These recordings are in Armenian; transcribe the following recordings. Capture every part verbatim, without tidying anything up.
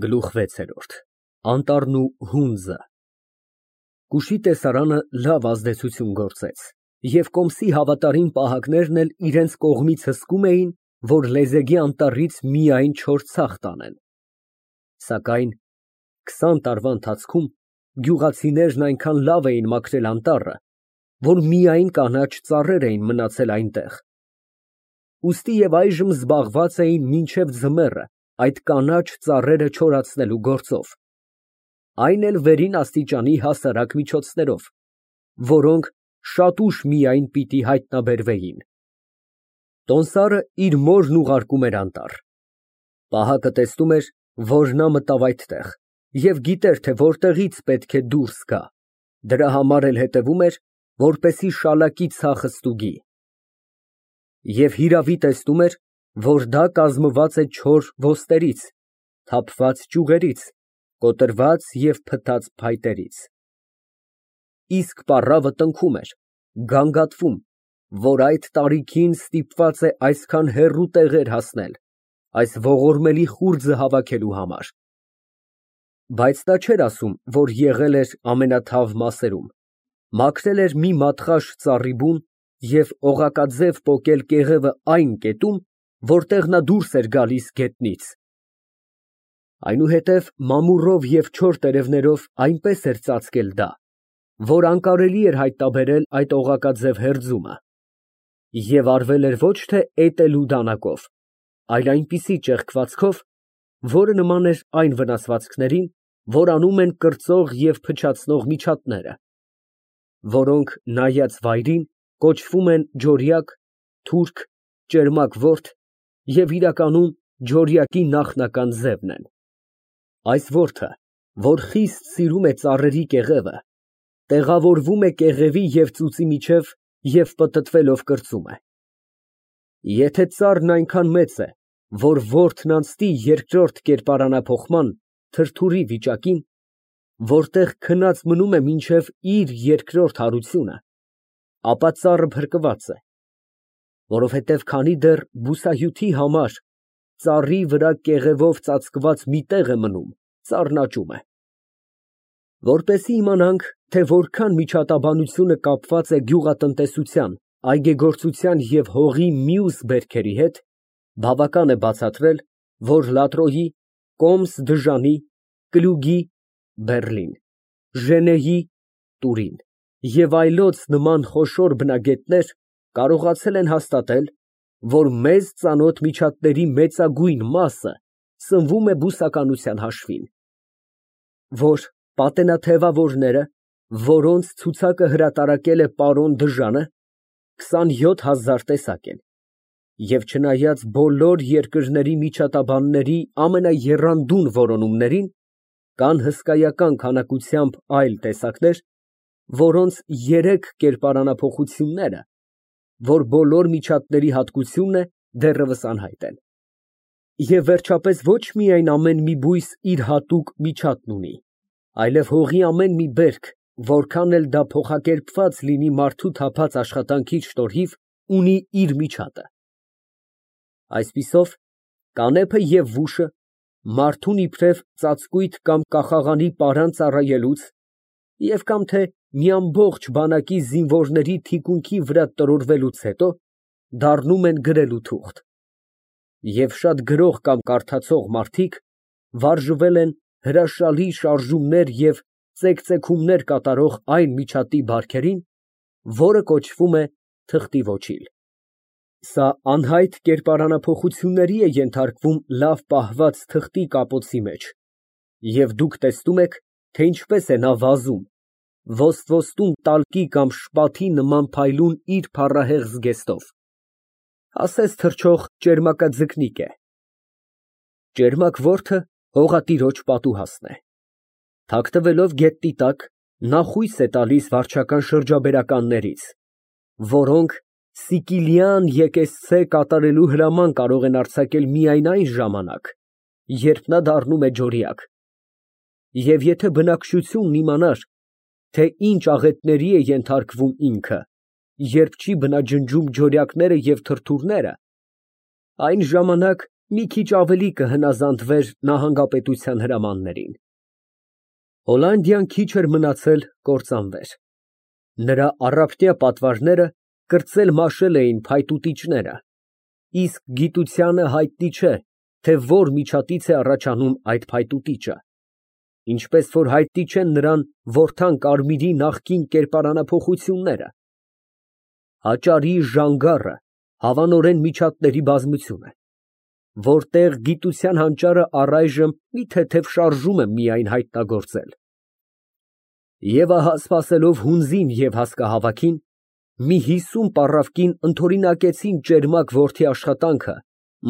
ԳԼՈՒԽ վեցերորդ ԱՆՏԱՐՆ ՈՒ ՀՈՒՆԶԸ Կուշի տեսարանը լավ ազդեցություն գործեց, և կոմսի հավատարիմ պահակներն էլ իրանց կողմից հսկում էին, որ լեզեգի անտառից միայն չոր ցախ տանեն, սակայն քսան տարվա ընթացքում գյուղացիներն այնքան լավ էին մաքրել անտառը, որ միայն կանաչ ծառեր էին մնացել այնտեղ, ուստի և այժմ զբաղված էին մինչև ձմեռը այդ կանաչ ծառերը չորացնելու գործով, այն էլ վերին աստիճանի հասարակ միջոցներով, որոնք շատ ուշ միայն պիտի հայտնաբերվեին։ Տոմսարը իր մորն ուղարկում էր անտառ։ Պահակը տեսնում էր, որ նա մտավ այդտեղ և գիտեր, թե որտեղից պետք է դուրս գա, դրա համար էլ հետևում էր, որպեսզի շալակի ցախը ստուգի։ Եվ հիրավի տեսնում էր, որ դա կազմված է չոր ոստերից, թափված ճյուղերից, կոտրված և փտած փայտերից։ Իսկ պառավը տնքում էր, գանգատվում, որ այդ տարիքին ստիպված է այսքան հեռու տեղեր հասնել այս ողորմելի խուրձը հավաքելու համար։ Բայց նա չէր ասում, որ եղել էր ամենաթավ մասերում, մաքրել էր մի մատղաշ ծառի բուն և օղակաձև պոկել կեղևը այն կետում, որտեղ նա դուրս էր գալիս գետնից։ Այնուհետև մամուռով և չոր տերևներով այնպես էր ծածկել դա, որ անկարելի էր հայտնաբերել այդ օղակաձև հերձումը, և արվել էր ոչ թե էտելու դանակով, այլ այնպիսի ճեղքվածքով, որը նման էր այն վնասվածքներին, որ անում են կրծող և փչացնող միջատները, որոնք նայած վայրին կոչվում են ջորյակ, թուրք, ճերմակ ворթ և իրականում ջորյակի նախնական ձևն են։ Այս որդը, որ խիստ սիրում է ծառերի կեղևը, տեղավորվում է կեղևի և ծուծի միջև և պտտվելով կրծում է։ Եթե ծառն այնքան մեծ է, որ որդն անցնի երկրորդ կերպարանափոխման (թրթուրի) վիճակին, որտեղ քնած մնում է մինչև իր երկրորդ հարությունը, ապա ծառը փրկված է, որովհետև քանի դեռ բուսահյութի համար ծառի վրա կեղևով ծածկված մի տեղ է մնում, ծառն աճում է։ Որպեսզի իմանանք, թե որքան միջատաբանությունը կապված է գյուղատնտեսության, այգեգործության և հողի մյուս բերքերի հետ, բավական է բացատրել, որ լատրոյի, կոմս դժանի, կլուգի (Բեռլին), ժենեյի (Տուրին) և այլոց նման խոշոր բնագետներ կարողացել են հաստատել, որ մեզ ծանոթ միջատների մեծագույն մասը սնվում է բուսականության հաշվին, որ պատենաթևավորները, որոնց ցուցակը հրատարակել է պարոն Դժանը, քսանյոթ հազար տեսակ են, և չնայած բոլոր երկրների միջատաբանների ամենաեռանդուն որոնումներին, կան հսկայական քանակությամբ այլ տեսակներ, որոնց երեք կերպարանափոխությունները, որ բոլոր միջատների հատկությունն է, դեռևս անհայտ են։ Եվ վերջապես ոչ միայն ամեն մի բույս իր հատուկ միջատն ունի, այլև հողի ամեն մի բերք, որքան էլ դա փոխակերպված լինի մարդու թափած աշխատանքի շնորհիվ, ունի իր միջատը։ Այսպիսով, կանեփը և վուշը մարդուն իբրև ծածկույթ կամ կախաղանի պարան ծառայելուց և կամ թե մի ամբողջ բանակի զինվորների թիկունքի վրա տրորվելուց հետո դառնում են գրելու թուղթ, և շատ գրող կամ կարդացող մարդիկ վարժվել են հրաշալի շարժումներ և ծեքծեքումներ կատարող այն միջատի բարքերին, որը կոչվում է թղթի ոչիլ։ Սա անհայտ կերպարանափոխությունների է ենթարկվում լավ պահված թղթի կապոցի մեջ, և դուք տեսնում եք, թե ինչպես է նա վազում, ոստ֊ոստում տալկի կամ շպաթի նման փայլուն իր փառահեղ զգեստով, ասես թռչող ճերմակաձկնիկ է։ Ճերմակ որդը հողատիրոջ պատուհասն է։ Թաքնվելով գետնի տակ, նա խույս է տալիս վարչական շրջաբերականներից, որոնք սիկիլյան եկեսցե կատարելու հրաման կարող են արձակել միայն այն ժամանակ, երբ նա դառնում է ջորյակ, և եթե բնակչությունն իմանար, թե ինչ աղետների է ենթարկվում ինքը, երբ չի բնաջնջում ջորյակները և թրթուրները, այն ժամանակ մի քիչ ավելի կհնազանդվեր նահանգապետության հրամաններին։ Հոլանդիան քիչ էր մնացել կործանվեր։ Նրա առափտյա պատվարները կրծել֊մաշել էին փայտուտիչները, իսկ գիտությանը հայտնի չէ, թե որ միջատից է առաջանում այդ փայտուտիչը, ինչպես որ հայտնի չեն նրան որդան Կարմիրի նախկին կերպարանափոխությունները։ Հաճարի ժանգառը հավանորեն միջատների բազմություն է, որտեղ գիտության հանճարը առայժմ մի թեթև շարժում է միայն հայտնագործել։ Եվ ահա սպասելով հունձին և հասկահավաքին, մի հիսուն պառավկին ընդօրինակեցին ճերմակ որդի աշխատանքը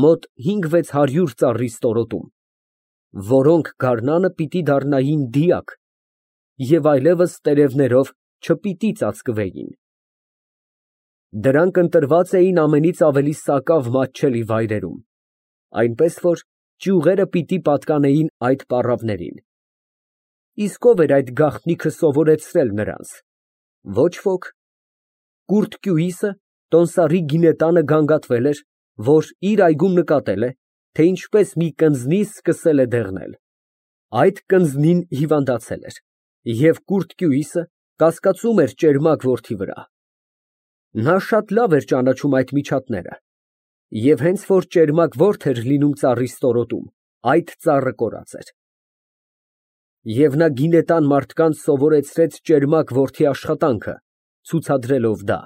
մոտ հինգ֊վեց հարյուր ծառի ստորոտում, որոնք գարնանը պիտի դառնային դիակ և այլևս տերևներով չպիտի ծածկվեին։ Դրանք ընտրված էին ամենից ավելի սակավ մատչելի վայրերում, այնպես որ ճյուղերը պիտի պատկանեին այդ պառավներին։ Իսկ ո՞վ էր այդ գաղտնիքը սովորեցրել նրանց։ Ոչ ոք։ Կուրթ Կյուիսը տոմսարի գինետանը գանգատվել էր, որ իր այգում նկատել է, թե ինչպես մի կնձնի սկսել է դեղնել։ Այդ կնձնին հիվանդացել էր, և Կուրթ Կյուիսը կասկածում էր ճերմակ որդի վրա։ Նա շատ լավ էր ճանաչում այդ միջատները, և հենց որ ճերմակ որդ էր լինում ծառի ստորոտում, այդ ծառը կորած էր։ Եվ նա գինետան մարդկանց սովորեցրեց ճերմակ որդի աշխատանքը, ցուցադրելով դա։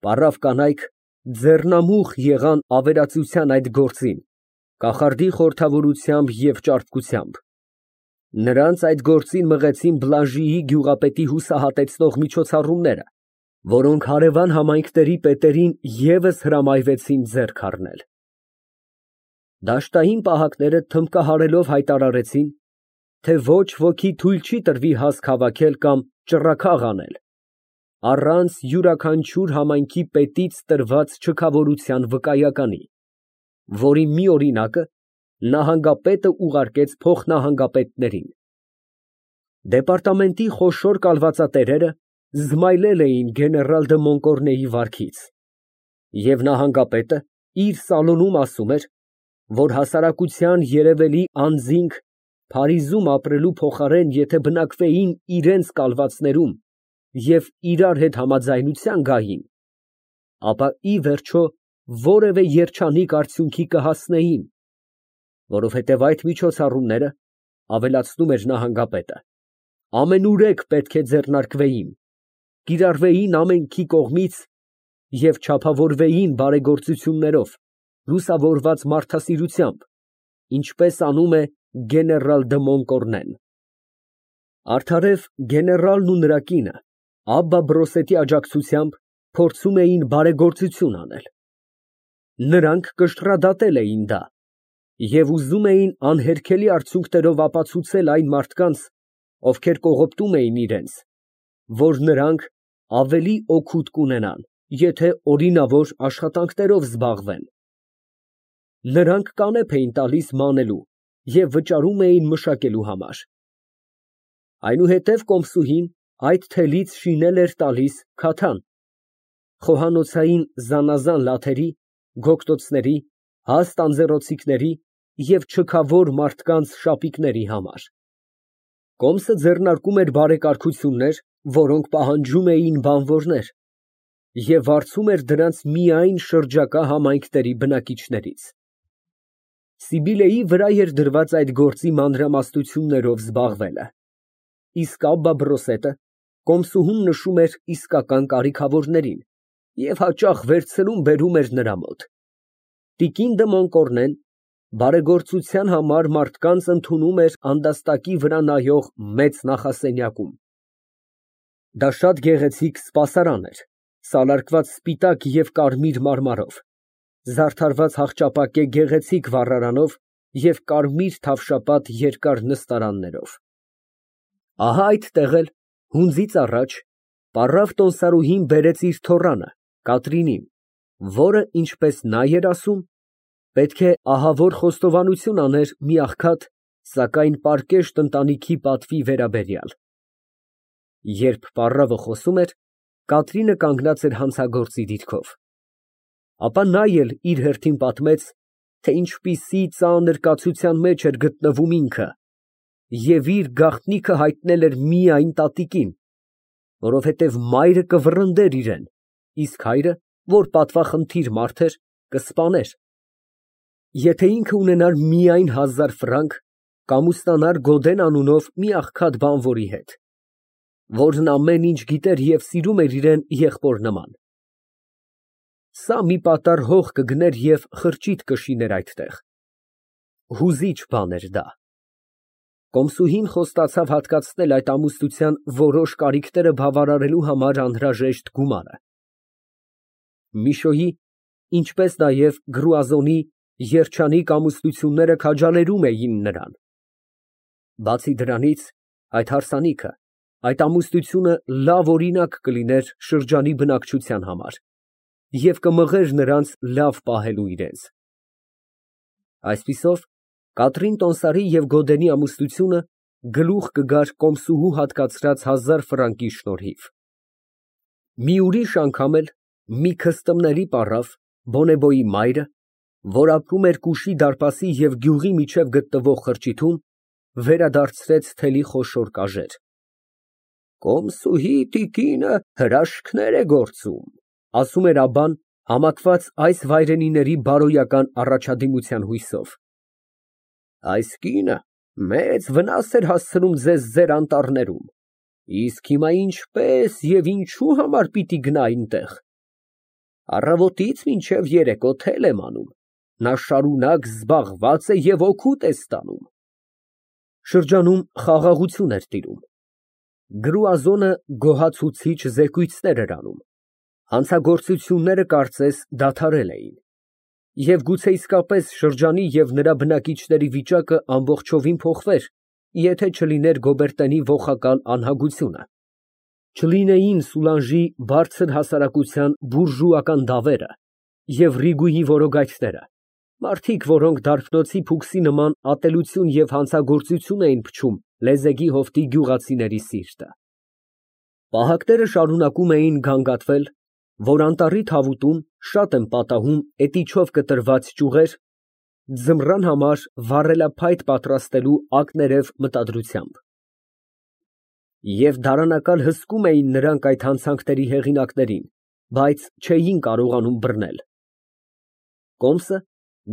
Պառավ կանայք ձեռնամուխ եղան ավերածության այդ գործին, կախարդի խորհրդավորությամբ և ճարպկությամբ։ Նրանց այդ գործին մղեցին Բլանժիի գյուղապետի հուսահատեցնող միջոցառումները, որոնք հարևան համայնքների պետերին ևս հրամայվեցին ձեռք առնել։ Դաշտային պահակները թմբկահարելով հայտարարեցին, թե ոչ ոքի թույլ չի տրվի հասկ հավաքել կամ ճռռաքաղ անել, առանց յուրաքանչյուր համայնքի պետից տրված չքավորության վկայականի, որի մի օրինակը նահանգապետը ուղարկեց փոխնահանգապետներին։ Դեպարտամենտի խոշոր կալվածատերերը զմայլել էին գեներալ դը Մոնկորնեի վարքից, և նահանգապետը իր սալոնում ասում էր, որ հասարակության երևելի անձինք Փարիզում ապրելու փոխարեն եթե բնակվեին իրենց կալվածներում և իրար հետ համաձայնության գային, ապա ի վերջո որևէ երջանիկ արդյունքի կհասնեին, որովհետև այդ միջոցառումները, ավելացնում էր նահանգապետը, ամենուրեք պետք է ձեռնարկվեին, կիրառվեին ամենքի կողմից և չափավորվեին բարեգործություններով, լուսավորված մարդասիրությամբ, ինչպես անում է գեներալ դը Մոնկորնեն։ Արդարև գեներալն ու նրա կինը Աբբա Բրոսետի աջակցությամբ փորձում էին բարեգործություն անել։ Նրանք կշռադատել էին դա և ուզում էին անհերքելի արդյունքներով ապացուցել այն մարդկանց, ովքեր կողոպտում էին իրենց, որ նրանք ավելի օգուտ կունենան, եթե օրինավոր աշխատանքներով զբաղվեն։ Նրանք կանեփ էին տալիս մանելու և վճարում էին մշակելու համար։ Այնուհետև կոմսուհին այդ թելից շինել էր տալիս քաթան, խոհանոցային զանազան լաթերի, գոգտոցների, հաստ անձեռոցիկների և չքավոր մարդկանց շապիկների համար։ Կոմսը ձեռնարկում էր բարեկարգություններ, որոնք պահանջում էին բանվորներ, և վարձում էր դրանց միայն շրջակա համայնքների բնակիչներից։ Սիբիլեի վրա էր դրված այդ գործի մանրամասնություններով զբաղվելը, իսկ Աբբա Բրոսետը կոմսուհուն նշում էր իսկական կարիքավորներին և հաճախ վերցնում բերում էր նրա մոտ։ Տիկին դը Մոնկորնեն բարեգործության համար մարդկանց ընդունում էր անդաստակի վրա նայող մեծ նախասենյակում։ Դա շատ գեղեցիկ սպասարան էր, սալարկված սպիտակ և կարմիր մարմարով, զարդարված հախճապակե գեղեցիկ վառարանով և կարմիր թավշապատ երկար նստարաններով։ Ահա այդտեղ էլ, հունձից առաջ, պառավ տոմսարուհին բերեց իր թոռանը Կատրինին, որը, ինչպես նա էր ասում, պետք է ահավոր խոստովանություն աներ մի աղքատ, սակայն պարկեշտ ընտանիքի պատվի վերաբերյալ։ Երբ պառավը խոսում էր, Կատրինը կանգնած էր հանցագործի դիրքով։ Ապա նա էլ իր հերթին պատմեց, թե ինչպիսի ծանր կացության մեջ էր գտնվում ինքը, և իր գաղտնիքը հայտնել էր միայն տատիկին, որովհետև մայրը կվռնդեր իրան, իսկ հայրը, որ պատվախնդիր մարդ էր, կսպաներ։ Եթե ինքը ունենար միայն հազար ֆրանկ, կամ ուստանար Գոդեն անունով մի աղքատ բանվորի հետ, որն ամեն ինչ գիտեր և սիրում էր իրան եղբոր նման, սա մի պատառ հող կգներ և խրճիթ կշիներ այդտեղ։ Հուզիչ բան էր դա։ Կոմսուհին խոստացավ հատկացնել այդ ամուսնության որոշ կարիքները բավարարելու համար անհրաժեշտ գումարը։ Միշոյի, ինչպես նաև Գրուազոնի երջանիկ ամուսնությունները քաջալերում էին նրան։ Բացի դրանից, այդ հարսանիքը, այդ ամուսնությունը լավ օրինակ կլիներ շրջանի բնակչության համար և կմղեր նրանց լավ պահելու իրենց։ Այսպիսով, Կատրին Տոնսարի և Գոդենի ամուսնությունը գլուխ կգար կոմսուհու հատկացրած հազար ֆրանկի շնորհիվ։ Մի ուրիշ անգամ էլ մի քստմների պառավ Բոնեբոյի մայրը, որ ապրում էր Կուշի դարպասի և գյուղի միջև գտնվող խրճիթում, վերադարձրեց թելի խոշոր կաժեր։ Կոմսուհի տիկինը հրաշքներ է գործում, ասում էր Աբբան, համակված այս վայրենիների բարոյական առաջադիմության հույսով։ Այս կինը մեծ վնաս էր հասցնում ձեզ ձեր անտառներում, իսկ հիմա ինչպես և ինչու համար պիտի գնա այնտեղ։ Առավոտից մինչև երեկո թել եմ անում, նա շարունակ զբաղված է և օգուտ է ստանում։ Շրջանում խաղաղություն էր տիրում։ Գրուազոնը գոհացուցիչ զեկույցներ էր անում, հանցագործությունները կարծես դադարել էին, և գուցե իսկապես շրջանի և նրա բնակիչների վիճակը ամբողջովին փոխվեր, եթե չլիներ Գոբերտենի ոխակալ անհագությունը, չլինեին Սուլանժի բարձր հասարակության բուրժուական դավերը և Ռիգուի որոգայթները, մարդիկ, որոնք դարբնոցի փուքսի նման ատելություն և հանցագործություն էին փչում լեզեգի հովտի գյուղացիների սիրտը։ Պահակները շարունակում էին գանգատվել, որ անտառի թավուտում շատ են պատահում էտիչով կտրված ճյուղեր, ձմռան համար վառելափայտ պատրաստելու ակներև մտադրությամբ։ Եվ դարանակալ հսկում էին նրանք այդ հանցանքների հեղինակներին, բայց չէին կարողանում բռնել։ Կոմսը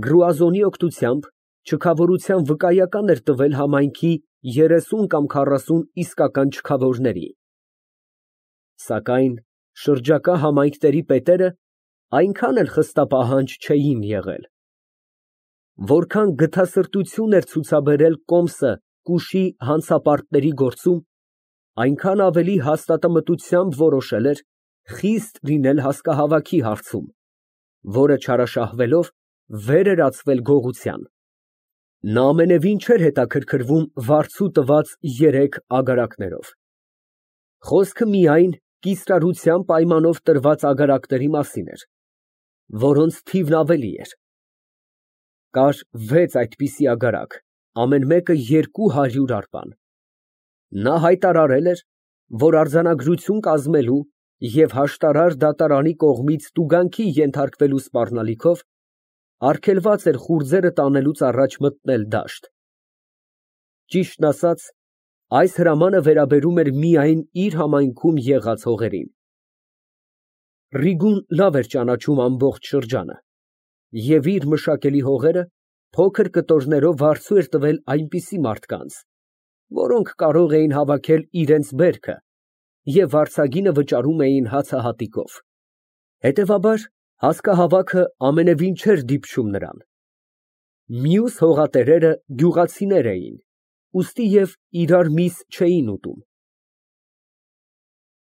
Գրուազոնի օգնությամբ չքավորության վկայական էր տվել համայնքի երեսուն կամ քառասուն իսկական չքավորների։ Սակայն շրջակա համայնքների պետերը այնքան էլ խստապահանջ չէին եղել։ Որքան գթասրտություն էր ցուցաբերել Կոմսը Կուշի հանցապարտների գործում, այնքան ավելի հաստատամտությամբ որոշել էր խիստ լինել հասկահավաքի հարցում, որը չարաշահվելով վեր էր ածվել գողության։ Նա ամենևին չէր հետաքրքրվում վարձու տված երեք ագարակներով։ Խոսքը միայն կիսրարության պայմանով տրված ագարակների մասին էր, որոնց թիվն ավելի էր։ Կար վեց այդպիսի ագարակ, ամեն մեկը երկու հարյուր արպան։ Նա հայտարարել էր, որ արձանագրություն կազմելու և հաշտարար դատարանի կողմից տուգանքի ենթարկվելու սպառնալիքով արգելված էր խուրձերը տանելուց առաջ մտնել դաշտ։ Ճիշտն ասած, այս հրամանը վերաբերում էր միայն իր համայնքում եղած հողերին։ Ռիգուն լավ էր ճանաչում ամբողջ շրջանը և իր մշակելի հողերը փոքր կտորներով վարձու էր տվել այնպիսի մարդկանց, որոնք կարող էին հավաքել իրենց բերքը և վարձագինը վճարում էին հացահատիկով։ Հետևաբար, հասկահավաքը ամենևին չէր դիպչում նրան։ Մյուս հողատերերը գյուղացիներ էին, ուստի և իրար միս չէին ուտում։